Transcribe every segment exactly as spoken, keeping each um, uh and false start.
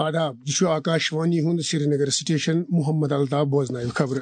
آداب، یہِ چھُ آکاش وانی ہُنٛد سرینگر سٹیشن۔ محمد الطاف بوزناوِ خبرٕ۔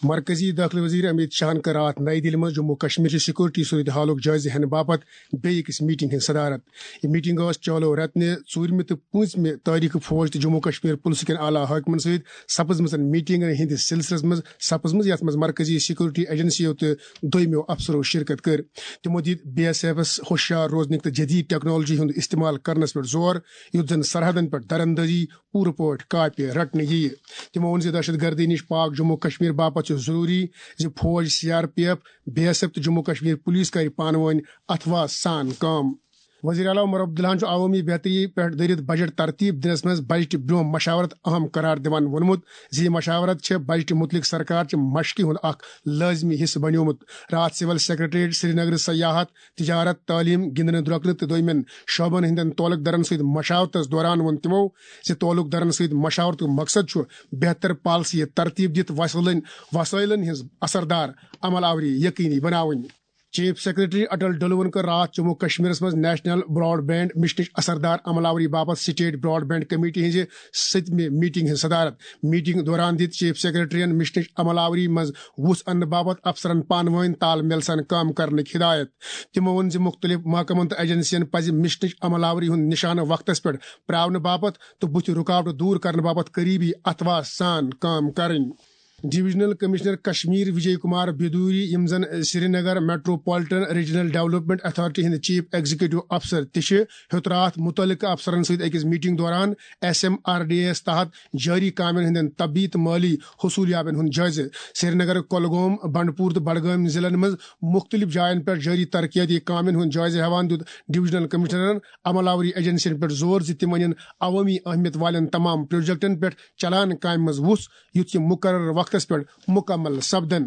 مرکزی دٲخلہٕ وزیر امیت شاہن کٔر راتھ نئی دِلہِ منٛز جموں کشمیر چہِ سیکورٹی صورتحالُک جٲیزٕ ہٮ۪نہٕ باپتھ بیٚیہِ أکِس میٹنگ ہٕنٛز صدارت۔ یہِ میٹنگ ٲس چالو رتنہِ ژوٗرمہِ تہٕ پوٗنٛژمہِ تٲریخہٕ فوج تہٕ جموں کشمیر پُلسہٕ کٮ۪ن اعلیٰ حٲکمن سۭتۍ سپٕزمٕژن میٹنگن ہٕنٛدِس سلسلس منٛز سپٕزمٕژ، یتھ منٛز مرکزی سیکورٹی ایجنسیو تہٕ دوٚیمٮ۪و افسرو شرکت کٔر۔ تِمو دِتۍ بی ایس ایفس ہوشیار روزنٕکۍ تہٕ جدید ٹیکنالوجی ہُنٛد استعمال کرنس پٮ۪ٹھ زور، یُتھ زن سرحدن پٮ۪ٹھ درندٲزی پوٗرٕ پٲٹھۍ کاپہِ رٹنہٕ یِیہِ۔ تِمو ووٚن زِ دہشت گردی نِش پاک جموں کشمیر باپتھ چھُ ضروٗری زِ فوج، C R P F, B S F تہٕ جموں کشمیر پولیس کرِ پانہٕ وٲنۍ اتھواہ سان کٲم۔ وزیر اعلیٰ عمر عبداللہن چھُ عوٲمی بہتری پٮ۪ٹھ دٲرِتھ بجٹ ترتیب دِنس منٛز بجٹہِ برٛونٛہہ مشاورت اہم قرار دِوان ووٚنمُت زِ یہِ مشاورت چھےٚ بجٹہِ مُتعلق سرکار چہِ مشقہِ ہُنٛد اکھ لٲزمی حصہٕ بنیومُت۔ راتھ سول سیکرٹریٹ سرینگرٕ سیاحت، تجارت، تعلیم، گِنٛدنہٕ درۄکنہٕ تہٕ دوٚیمٮ۪ن شعبن ہٕنٛدٮ۪ن تعلق دارن سۭتۍ مشاورتس دوران ووٚن تِمو زِ تعلق دارن سۭتۍ مشاورتُک مقصد چھُ بہتر پالیسی ترتیب دِتھ وسٲیلن، وسٲیلن ہٕنٛز اثردار عمل آوری یقینی بناوٕنۍ۔ چیف سیکرٹری اٹل ڈلوَن کٔر راتھ جموں کشمیرس منٛز نیشنل براڈ بینڈ مشنٕچ اثردار عمل آوری باپتھ سٹیٹ براڈ بینڈ کمیٹی ہٕنٛزِ سٔتمہِ میٹنگ ہٕنٛز صدارت۔ میٹنگ دوران دِتۍ چیف سیکرٹریَن مشنٕچ عمل آوری منٛز وُژھ اننہٕ باپتھ افسرن پانہٕ وٲنۍ تال میل سان کٲم کرنٕکۍ ہدایت۔ تِمو ووٚن زِ مُختٔلِف محکمن تہٕ ایجنسین پزِ مشنٕچ عمل آوری ہُنٛد نشانہٕ وقتس پٮ۪ٹھ پراونہٕ باپتھ تہٕ بُتھِ رُکاوٹہٕ دوٗر کرنہٕ باپتھ قریبی اتھواہ سان کٲم کرٕنۍ۔ ڈویژنل کمشنر کشمیر وجے کمار بیدوری، یِم زن Srinagar metropolitan regional development authority ہٕنٛدۍ چیف ایگزیکٹو افسر تہِ چھِ، ہیوٚت راتھ مُتعلقہٕ افسرن سۭتۍ أکِس میٹنگ دوران S M R D A یَس تحت جٲری کامٮ۪ن ہٕنٛدٮ۪ن طبی تہٕ مٲلی حصوٗلیابٮ۪ن ہُنٛد جٲیزٕ۔ سرینگر، کۄلگوم، بنڈپور تہٕ بڈگٲمۍ ضلعن منٛز مُختٔلِف جاین پٮ۪ٹھ جٲری ترقیٲتی کامٮ۪ن ہُنٛد جٲیزٕ ہٮ۪وان دیُت ڈویژنل کمشنرن عمل آوری ایجنسین پٮ۪ٹھ زور زِ تِم انن عوٲمی اہمیت والٮ۪ن تمام پروجیکٹن پٮ۪ٹھ چلان کامہِ منٛز وُژھ، یُتھ یِم مقررٕ وقتس پٮ۪ٹھ مکمل سپدن۔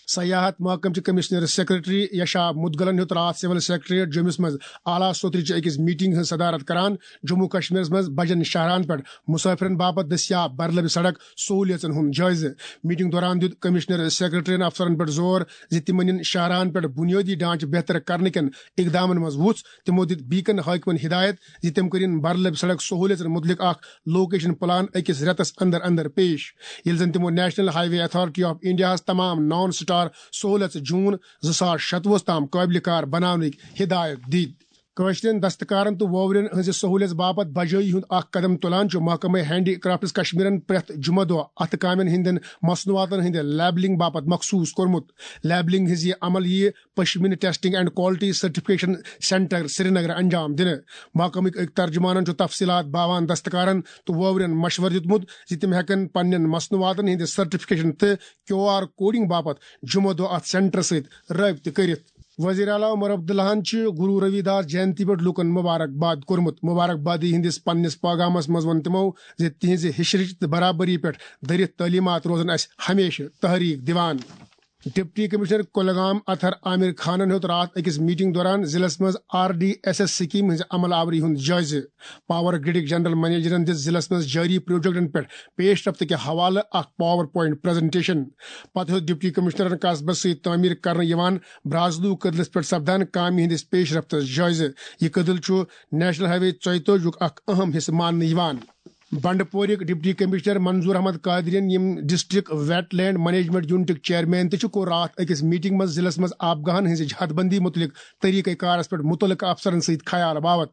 سیاحت محکمہٕ چہِ کمشنر سیکرٹری یشا مدگلن ہیوٚت راتھ سول سیکرٹریٹ جوٚمِس منٛز اعلیٰ سوترِ چہِ أکِس میٹنگ ہٕنٛز صدارت کران جموں کشمیرس منٛز بجن شاہراہن پٮ۪ٹھ مسافرن باپتھ دٔستیاب برلبہِ سڑک سہولیژن ہُنٛد جٲیزٕ۔ میٹنگ دوران دیُت کمشنر سیکرٹریَن افسرن پٮ۪ٹھ زور زِ تِم انن شاہراہن پٮ۪ٹھ بنیٲدی ڈھانچہٕ بہتر کرنہٕ کٮ۪ن اقدامن منٛز وُژھ۔ تِمو دِتۍ بیکن حٲکمن ہدایت زِ تِم کٔرِن برلبہِ سڑک سہولیژن مُتعلق اکھ لوکیشن پلان أکِس رٮ۪تس اندر اندر پیش، ییٚلہِ زن تِمو national highway authority of انڈیاہس تمام نان سٹار سہولیژٕ جون زٕ ساس شتوُہس تام قٲبلِ کار بناونٕکۍ ہدایت دِتۍ۔ کٲشرٮ۪ن دستکارن تہٕ ووورٮ۪ن ہٕنٛزِ سہولیژ باپتھ بجٲیی ہُنٛد اکھ قدم تُلان چھُ محکمہٕ ہینڈی کرافٹس کشمیرن پرٛٮ۪تھ جمعہ دۄہ اتھٕ کامٮ۪ن ہٕنٛدٮ۪ن مصنوعاتن ہٕنٛدِ لیبلنگ باپتھ مخصوص کوٚرمُت۔ لیبلنگ ہٕنٛز یہِ عمل یِیہِ pashmina testing and quality certification centre Srinagar انجام دِنہٕ۔ محکمٕکۍ أکۍ ترجمانن چھُ تفصیلات باوان دستکارن تہٕ ووورٮ۪ن مشورٕ دیُتمُت زِ تِم ہٮ۪کن پننٮ۪ن مصنوعاتن ہٕنٛدِ سرٹیفکیشن تہٕ کیو آر کوڈنگ باپتھ جمعہ دۄہ اتھ سینٹرس سۭتۍ رٲبطہٕ کٔرِتھ۔ وزیر اعلیٰ عمر عبداللہن چھِ گرو روی داس جینتی پٮ۪ٹھ لوٗکن مبارک باد کوٚرمُت۔ مبارک بادی ہٕنٛدِس پننِس پیغامس منٛز ووٚن تِمو زِ تِہنٛزِ ہِشرٕچ تہٕ برابری پٮ۪ٹھ دٔرِتھ تعلیمات روزن اسہِ ہمیشہٕ تحریک دِوان۔ ڈپٹی کمشنر کولگام اطہر عامر خانن ہیوٚت راتھ أکِس میٹنگ دوران ضلعس منٛز آر ڈی ایس ایس سکیمہِ ہٕنٛزِ عمل آوری ہُنٛد جٲیزٕ۔ پاور گرڈٕکۍ جنرل منیجرن دِژ ضلعس منٛز جٲری پروجیکٹن پٮ۪ٹھ پیش رفت کہِ حوالہٕ اکھ پاور پوائنٹ پریزنٹیشن۔ پتہٕ ہیوٚت ڈپٹی کمشنرن قصبس سۭتۍ تعمیٖر کرنہٕ یِوان برازلو کٔدلس پٮ۪ٹھ سپدان کامہِ ہٕنٛدِس پیش رفتس جٲیزٕ۔ یہِ کٔدٕل چھُ نیشنل ہائی وے ژۄیہِ تٲجی یُک اکھ اہم حصہٕ ماننہٕ یِوان۔ بنڈپورٕکۍ ڈپٹی کمشنر منظور احمد قادرین، یِم ڈسٹرکٹ ویٹ لینڈ مینجمنٹ یونٹٕکۍ چیئرمین تہِ چھِ، کوٚر راتھ أکِس میٹنگ منٛز ضلعس منٛز آبگاہن ہٕنٛزِ حد بندی مُتعلق طریقہ کارس پٮ۪ٹھ مُتعلقہٕ افسرن سۭتۍ خیال باوت۔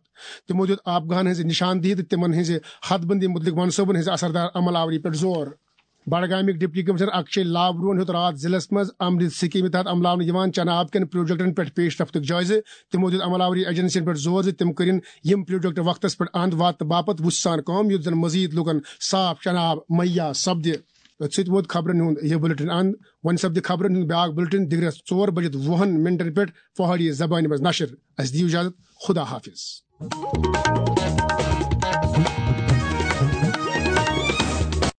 تِمو دیُت آبگاہن ہٕنٛزِ نشاندہی تہٕ تِمن ہٕنٛزِ حد بندی مُتعلق منصوبن ہٕنٛزِ اثردار عمل آوری پٮ۪ٹھ زور۔ بڈگامٕکۍ ڈپٹی کمشنر اکشے لابروہن ہیوٚت راتھ ضلعس منٛز امرت سکیمہِ تحت عملاونہٕ یِوان چنہٕ آبہٕ کٮ۪ن پروجیکٹن پٮ۪ٹھ پیش رفتُک جٲیزٕ۔ تِمو دیُت عمل آوری ایجنسین پٮ۪ٹھ زور زِ تِم کٔرِن یِم پروجیکٹ وقتس پٮ۪ٹھ اند واتنہٕ باپتھ وُژھ سان کٲم، یُتھ زن مزید لوٗکن صاف چنہٕ آب مہیا سپدِ۔ أتھۍ سۭتۍ ووت خبرن ہُنٛد یہِ بلیٹن اند۔ وۄنۍ سپدِ خبرن ہُنٛد بیاکھ بلیٹن دِگرس ژور بجِتھ وُہن منٹن پٮ۪ٹھ پہاڑی زبانہِ منٛز نشر۔ اسہِ دِیِو اجازت، خدا حافظ۔